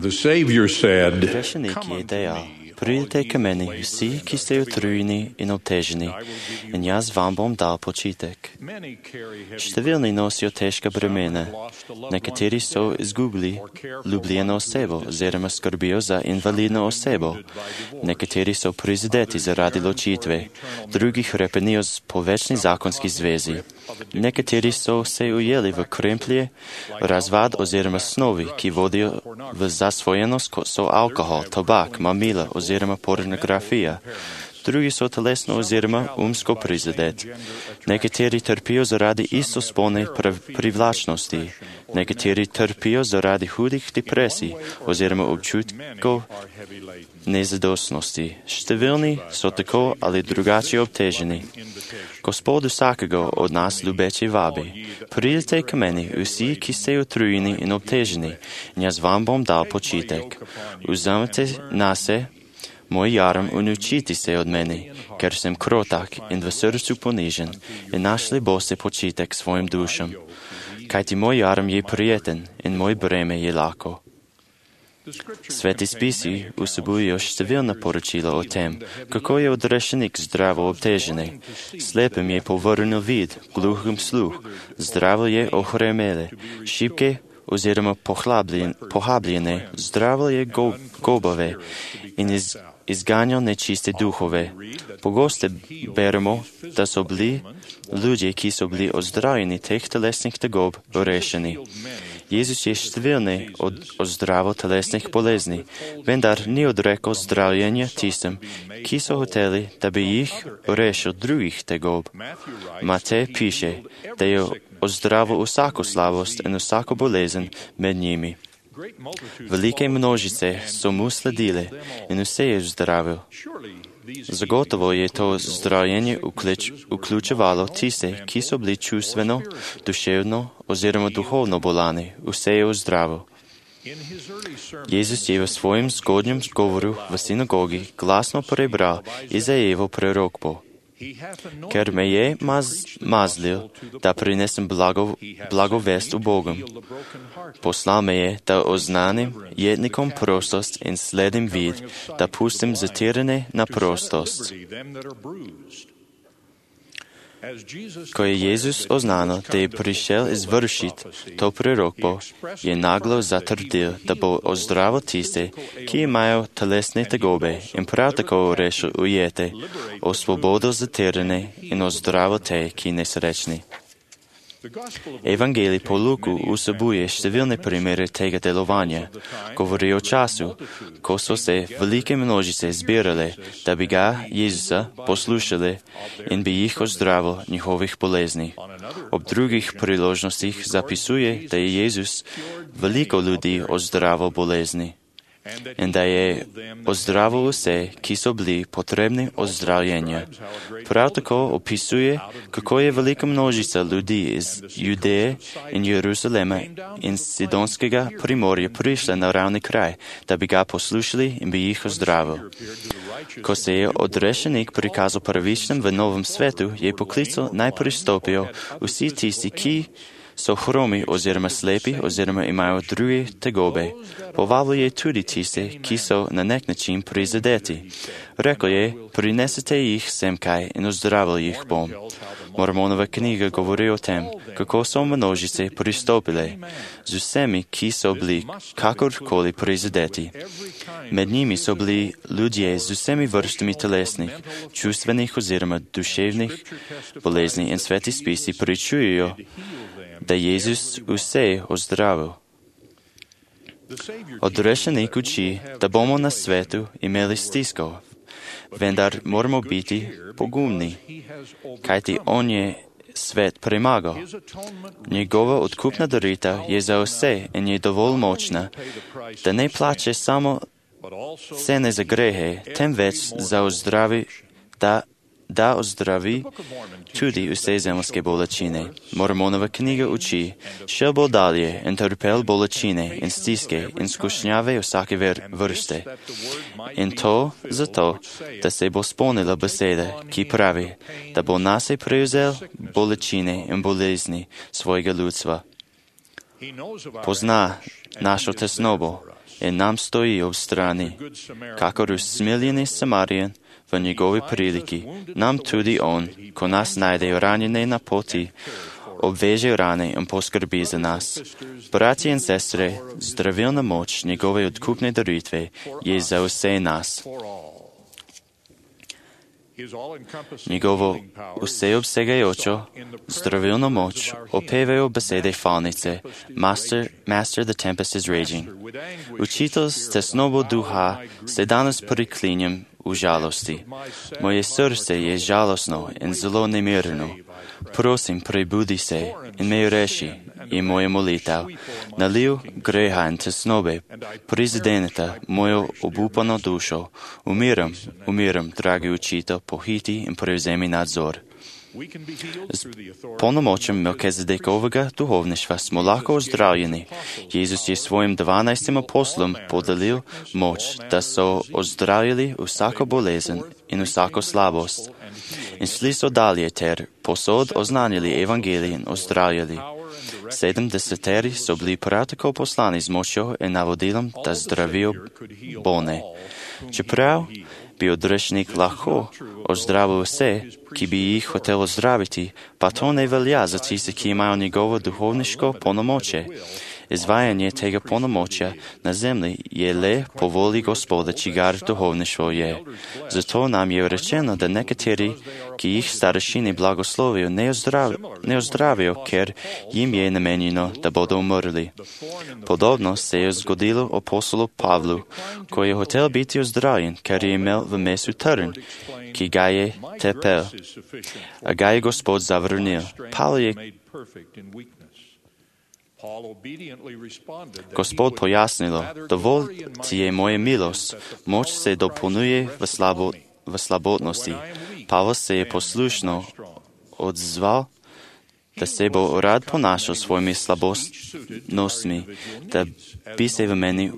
The Savior said, Грешеник е деял, придете към мене, всі, ки сте отруєні і обтежені, і аз вам бом дал почитек. Щавілні носят тежка бремена, некоторі со изгубили люблено осебо, зерема скорбio за инвалидно осебо, некоторі со произведети заради лочитве, други хрепенио с повечни законски звези. Некоторі со се уели в кремплje, развад озерема снови, ки води в засвоеност со алкохол, тобак, мамила, озерема порнография. Други со телесно озерема умско произведет. Некоторі терпио заради истоспolne привлачности. Некоторі терпио заради худих депресий, озерема обчутко незадостности. Щавілні со тако, але другаче обтежені. Господу всякого от нас любече ваби. Придете к мене, усі, ки сте отруєні і обтежені, і аз вам бом дал почитек. Уземете на се мой ярм и научите се от мене, ker съм кротак и в сърцу понижен, и нашли босе почитек своим душам. Кajti мой ярм е приятен, и мой бреме е лако. Свети списи усобуjo щавилна поручила о тем, како е odrešenik здраво обтежений. Слепим je повърнал вид, глухим слух, здраво je охремеле, шибке озерема похаблене, здраво je гобаве, и изганял нечисти духове. Погосте беремо да са били люди, ки са били оздравени тех телесних тъгоб решени. Jezus je щавилний od zdravo telesnih bolezни, vendar ni odrekao zdravljenja tistim, ki so hoteli, da bi jih rešil drugih tegob. Matej piše, da je ozdravil vsako slabost in vsako bolezen med njimi. Velike množice so mu sledile in vse je zdravil. Zagotovo je to zdravljenje vključevalo tiste, ki so bili čustveno, duševno oziroma duhovno bolani, vse je ozdravil. Jezus je v svojem zgodnjem govoru v sinagogi glasno prebral Izajevo prorokbo. Ker me je mazlil, da prinesem blagovest u Bogom. Poslal me je, da oznanim jednikom prostost in sledim vid, da pustim zatirane na prostost. Ko je Jezus oznano, da je prišel izvršit to prorokbo, je naglo zatrdil, da bo ozdravil tiste, ki imajo telesne tegobe in prav tako rešil ujete, osvobodil zatirane in ozdravil te, ki nesrečni. Evangelij po Luku vsebuje številne primere tega delovanja. Govori o času, ko so se velike množice zbirale, da bi ga, Jezusa, poslušali in bi jih ozdravil njihovih bolezni. Ob drugih priložnostih zapisuje, da je Jezus veliko ljudi ozdravil bolezni in da je ozdravil vse, ki so bili potrebni ozdravljenja. Prav tako opisuje, kako je velika množica ljudi iz Judeje in Jeruzalema in Sidonskega primorja prišla na ravni kraj, da bi ga poslušali in bi jih ozdravil. Ko se je odrešenik prikazal pravičnim v novem svetu, je poklical naj pristopijo vsi tisti, ki so hromi oziroma slepi oziroma imajo druge tegobe. Povabil je tudi tiste, ki so na nek način prizadeti. Rekel je, prinesite jih semkaj in ozdravil jih bom. Mormonova knjiga govori o tem, kako so množice pristopile z vsemi, ki so bili kakorkoli prizadeti. Med njimi so bili ljudje z vsemi vrstami telesnih, čustvenih oziroma duševnih bolezni in sveti spisi pričujejo, da Jezus vse ozdravil. Odrešenik uči, da bomo na svetu imeli stisko, vendar moramo biti pogumni, kajti on je svet premagal. Njegova odkupna daritev je za vse in je dovolj močna, da ne plače samo cene za grehe, temveč za ozdravi, da ozdravi tudi vse zemljske bolečine. Mormonova knjiga uči, šel bo dalje in trpel bolečine in stiske in skušnjave vsake vrste. In to zato, da se bo spomnila beseda, ki pravi, da bo nase prevzel bolečine in bolezni svojega ljudstva. Pozna našo tesnobo, и нам стои обстрани. Како смилени Самариjan в негови прилики, нам туди он, ко нас найде ранене на поти, обвеже рани и поскърби за нас. Брати и сестри, здравилна моч негови откупни даритви е за усе нас. Негово усеобсегаючо здравилна моч опевео беседи фалнице. Master, the tempest is raging. Учител с тесного духа се данас приклиням у жалости. Мое сърце е жалостно и зло немирно. Просим, пребуди се и ме реши, и моя молител. Налил греха и теснобе, президента, моя обупана душо. Умирам, драги учител, похити и превземи надзор. С пълномочем Мелкизедековага духовничества смо лако оздравljeni. Jezus je svojim 12 apostolom podelil moč, da so ozdravili vsako bolezen in vsako slabost. In šli so dalje ter posod oznanili evangelij in ozdravljali. 70 so bili prav tako poslani z močjo in navodilom, da zdravijo bolne. Čeprav bi odrešnik lahko ozdravil vse, ki bi jih hotel ozdraviti, pa to ne velja za tiste, ki imajo njegovo duhovniško polnomoče. Izvajanje tega polnomočja na zemlji je le po volji Gospoda, čigar duhovništvo je. Zato nam je rečeno, da nekateri, ki jih starešini blagoslovijo, ne ozdravijo, ker jim je namenjeno, da bodo umrli. Podobno se je zgodilo apostolu Pavlu, ko je hotel biti ozdravljen, ker je imel v mesu trn, ki ga je tepel, a ga je Gospod zavrnil. Pavel je Gospod pojasnilo, dovolj ti je moja milost, moč se dopolnjuje v slabotnosti. Pavel se je poslušno odzval, da se bo rad ponašal svojimi slabostnostmi, da bi se v meni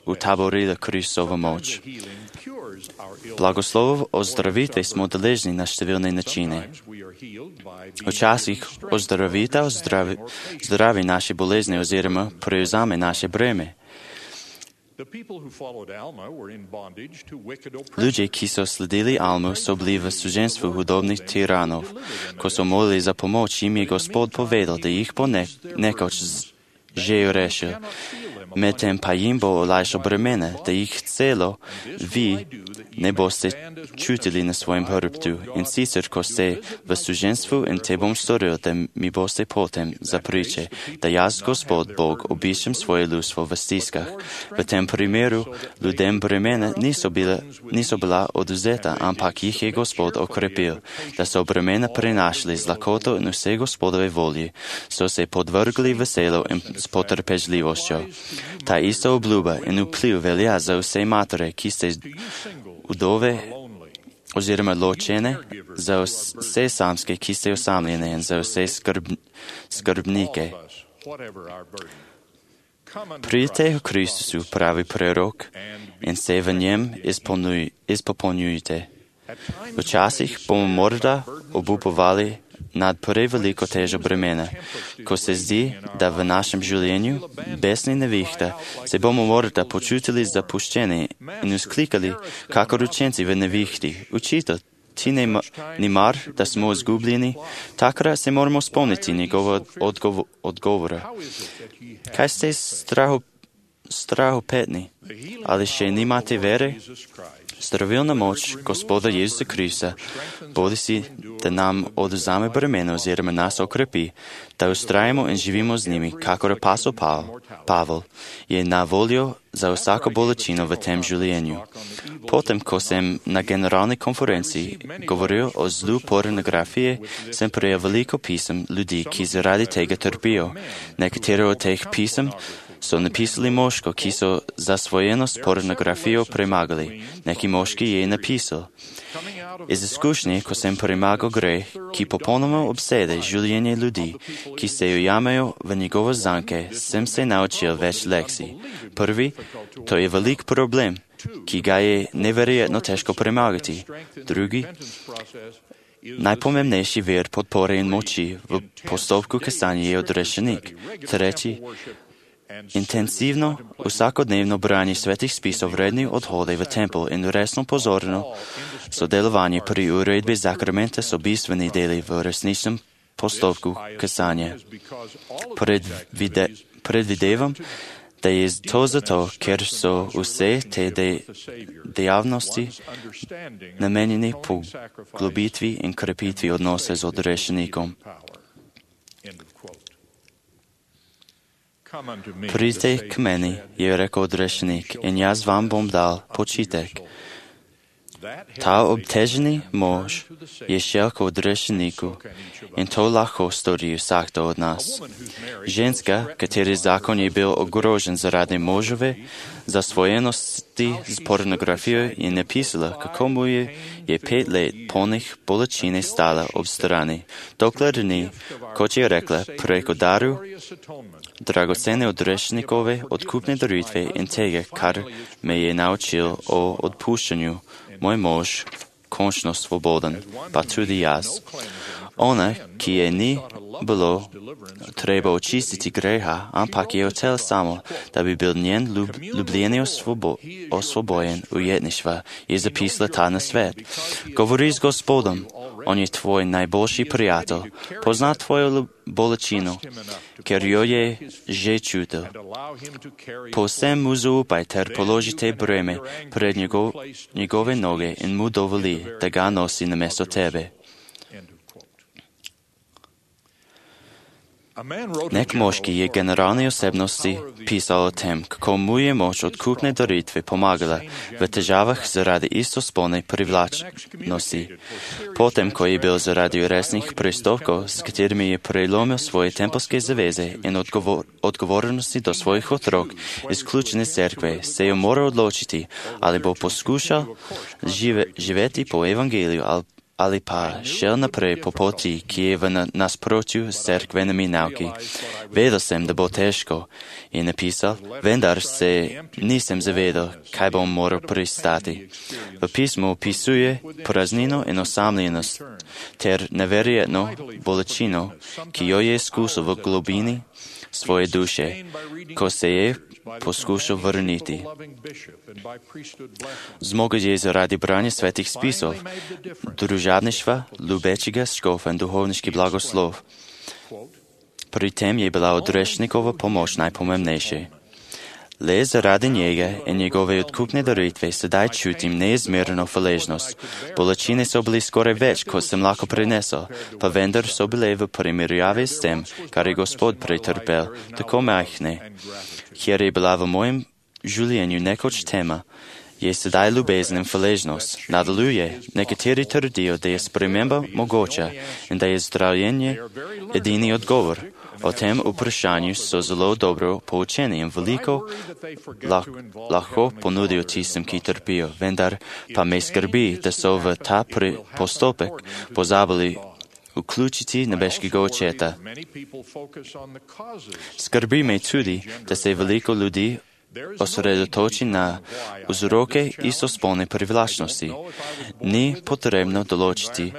utaborila Kristova moč. Blagoslovov ozdravitve smo deležni na številne načine. Včasih ozdravitev zdravi naše bolezni oziroma prevzame naše breme. Ljudje, ki so sledili Almu, so bili v suženstvu hudobnih tiranov. Ko so molili za pomoč, jim je Gospod povedal, da jih bo nekoč že rešil. Medtem pa jim bo olajšal bremene, da jih celo vi ne boste čutili na svojem hrbtu. In sicer, ko ste v suženstvu in te bom storil, da mi boste potem zapriče, da jaz, Gospod Bog, obiščem svoje ljudstvo v stiskah. V tem primeru ljudem bremene niso bila odvzeta, ampak jih je Gospod okrepil, da so bremena prenašali z lakoto in vse Gospodove volji, so se podvrgli veselo in s potrpežljivostjo. Ta ista obljuba in vpliv velja za vse matere, ki ste udove oziroma ločene, za vse samske, ki ste osamljene in za vse skrbnike. Pridite v Kristusu, pravi prerok, in se v njem izpopolnjujte. Včasih bomo morda obupovali nad preveliko težo bremena. Ko se zdi, da v našem življenju besni nevihta, se bomo morda počutili zapuščeni in vzklikali, kakor učenci v nevihti. Učitelj, ti ni mar, da smo izgubljeni? Takrat se moramo spomniti njegova odgovora. Kaj ste strahopetni? Ali še nimate vere? Zdravilna moč Gospoda Jezusa Krista, bodi si, da nam odvzame bremena oziroma nas okrepi, da ustrajamo in živimo z njimi, kakor apostol Pavel, je na voljo za vsako bolečino v tem življenju. Potem, ko sem na generalni konferenci govoril o zlu pornografije, sem prejel veliko pisem ljudi, ki zaradi tega trpijo. Nekatere od teh pisem so napisali moško, ki so zasvojenost pornografijo premagali. Neki moški je napisal: iz izkušnje, ko sem premagal greh, ki popolnoma obsede življenje ljudi, ki se ujamajo v njegove zanke, sem se naučil več lekcij. Prvi, to je velik problem, ki ga je neverjetno težko premagati. Drugi, najpomembnejši vir podpore in moči v postopku kastanja je odrešenik. Tretji, intenzivno u svakodnevno branje svetih spisov redni odhode v tempel in resno pozorno sodelovanje pri uredbi zakramenta so bistveni deli v resničnem postopku kasanja. Predvidevam, da je to zato, ker so vse te dejavnosti namenjeni poglobitvi in krepitvi odnose z odrešenikom. Pridite k meni, je rekel odrešenik, in jaz vam bom dal počitek. Ta obteženi mož je šel k odrešeniku in to lahko stori vsakdo od nas. Ženska, kateri zakon je bil ogrožen zaradi možove zasvojenosti z pornografijo, je napisala, kako mu je 5 let polnih bolečine stala ob strani, dokler ni, kot je rekla, preko daru dragocene odrešenikove odkupne daritve in tega, kar me je naučil o odpuščanju. Moj mož, končno svoboden, pa tudi jaz. Ona, ki je ni bilo treba očistiti greha, ampak je hotel samo, da bi bil njen ljubljeni osvobojen ujetništva, je zapisala ta nasvet. Govori z Gospodom, on je tvoj najboljši prijatelj, pozna tvojo bolečino, ker jo je že čutil. Povsem mu zaupaj ter položite breme pred njegove noge in mu dovoli, da ga nosi namesto tebe. Nek moški je generalni osebnosti pisal o tem, kako mu je moč odkupne daritve pomagala v težavah zaradi istospolne privlačnosti. Potem, ko je bil zaradi resnih prestopkov, s katerimi je prelomil svoje tempelske zaveze in odgovornosti do svojih otrok izključene cerkve, se je moral odločiti, ali bo poskušal živeti po evangeliju ali pa šel naprej po poti, ki je v nasprotju s cerkvenimi nauki. Vedel sem, da bo težko, je napisal, vendar se nisem zavedal, kaj bom moral pristati. V pismu opisuje praznino in osamljenost ter neverjetno bolečino, ki jo je izkusil v globini svoje duše, ko se je poskušal vrniti. Zmogel je zaradi branja svetih spisov, družabništva, ljubečega škofa in duhovniški blagoslov. Pri tem je bila odrešnikova pomoč najpomembnejša. Le zaradi njega in njegove odkupne daritve sedaj čutim neizmerno hvaležnost. Bolečine so bili skoraj več, kot sem lahko prinesel, pa vendar so bile v primerjavi s tem, kar je Gospod pretrpel, tako majhne. Kjer je bila v mojem življenju nekoč tema, je sedaj ljubezen in hvaležnost. Nadaljuje, nekateri trdijo, da je sprememba mogoča in da je zdravljenje edini odgovor. O tem vprašanju so zelo dobro poučeni in veliko lahko ponudijo tistim, ki trpijo, vendar pa me skrbi, da so v ta postopek pozabili vključiti nebeškega očeta. Skrbi me tudi, da se veliko ljudi osredotoči na vzroke istospolne privlačnosti. Ni potrebno določiti,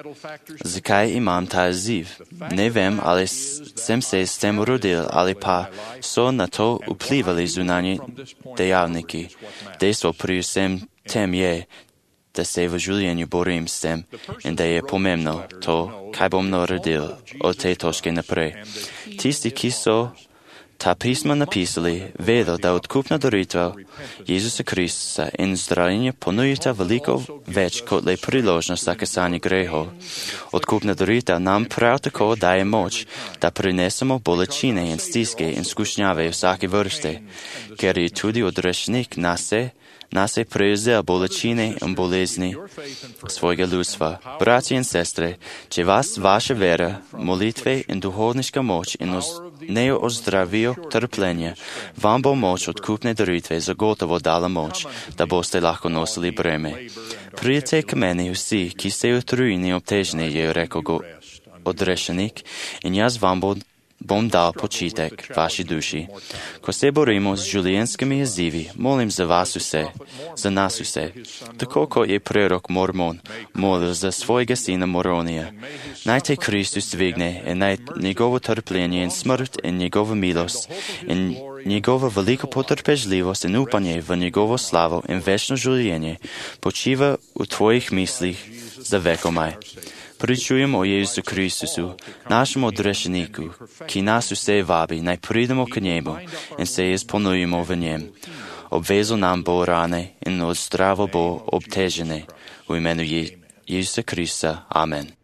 zakaj imam ta izziv. Ne vem, ali sem se s tem rodil, ali pa so na to vplivali zunanji dejavniki. Dejstvo pri vsem tem je, da se v življenju borim s tem in da je pomembno to, kaj bom naredil od te točke naprej. Tisti, ki so ta pisma napisali, vedo, da odkupna daritev Jezusa Kristusa in zdravljenje ponujita veliko več kot le priložnost za kasanje grehov. Odkupna daritev nam prav tako daje moč, da prinesemo bolečine in stiske in skušnjave vsake vrste, ker je tudi odrešenik nas je prevzel bolečine in bolezni svojega ljudstva. Bratje in sestre, če vas vaša vera, molitve in duhovniška moč ne ozdravijo trpljenje, vam bo moč odkupne daritve zagotovo dala moč, da boste lahko nosili breme. Pridite k meni vsi, ki ste utrujeni in obteženi, je rekel odrešenik, in jaz vam bom dal počitek vaši duši. Ko se borimo z življenjskimi izzivi, molim za vas vse, za nas vse, tako kot je prerok Mormon molil za svojega sina Moronija. Naj te Kristus dvigne in naj njegovo trpljenje in smrt in njegova milost in Njegova velika potrpežljivost in upanje v njegovo slavo in večno življenje počiva v tvojih mislih za vekomaj. Pričujem o Jezusu Kristusu, našemu odrešeniku, ki nas vse vabi, naj pridemo k njemu in se izpolnjujemo v njem. Obvezal nam bo rane in odzdravil bo obtežene. V imenu Jezusa Krista. Amen.